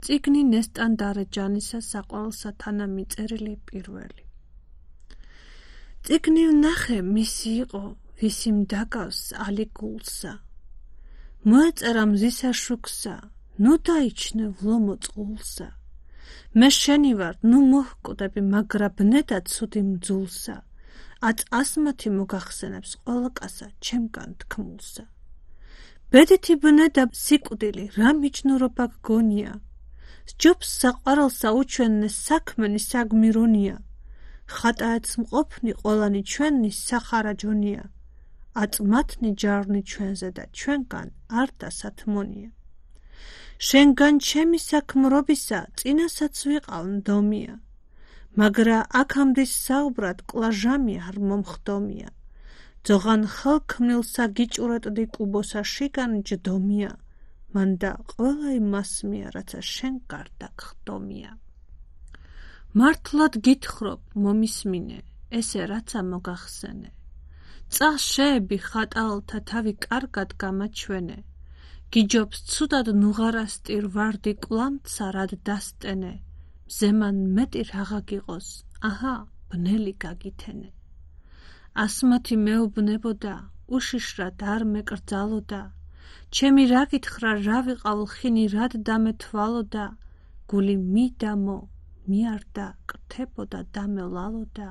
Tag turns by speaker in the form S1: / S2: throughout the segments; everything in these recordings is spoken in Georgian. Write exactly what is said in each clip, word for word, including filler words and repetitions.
S1: წიგნი ნესტან დარეჯანისა საყვარელსა თანამიწერილი პირველი. წიგნი ვნახე მისი იყო, ვისი მდაკავს ალიგულსა. მოეწერა მზისა შუქსა, ნუ დაიჩნე ვლომო წყულსა. მე შენი ვარ, ნუ მოჰკვდები, მაგრა ბნედა ცუდი მძულსა. აწ ასმათი მოგახსენებს ყველა კაცსა ჩემგან თქმულსა. ბედითი ბნედა სიკვდილი, რა მიჯნურობა გგონია. სჯობს საყვარელსა უჩვენნე საქმენი საგმირონია. ხატაეც მყოფნი ყველანი ჩვენი სახარაჯონია. აწ მათნი ჯარნი ჩვენზე და ჩვენგან არ დასათმონია. შენგან ჩემი საქმრობისა წინასაც ვიყავ ნდომია. მაგრა აქამდის საუბრად კლაჟამი არ მომხდომია. ძოღან ხელქმნილსა გიჭურეტდი კუბოსა შიგან ჯდომია. მანდა ყველა იმასმია, რაცა შენ გარდა გხდომია. მართლად გითხრობ, მომისმინე, ესე რაცა მოგახსენე. წას შეები ხატალთა თავი კარგად გამაჩვენე. გიჯობს ცუდად ნუღარასტირ ვარდი კვლამცა რად დასტენე. მზემან მეტი რაღა გიყოს, აჰა, ბნელი გაგითენე. ასმათი მეუბნებოდა, უშიშრად არ მეკრძალოდა. ჩემი რა გითხრა, რა ვიყავ ლხინი, რად დამეთვალოდა. გული მიდამო, მიარდა, კრთებოდა დამელალოდა.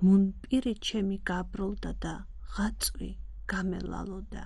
S1: მუნ პირი ჩემი გაბრალდა და ღაწვი გამელალოდა.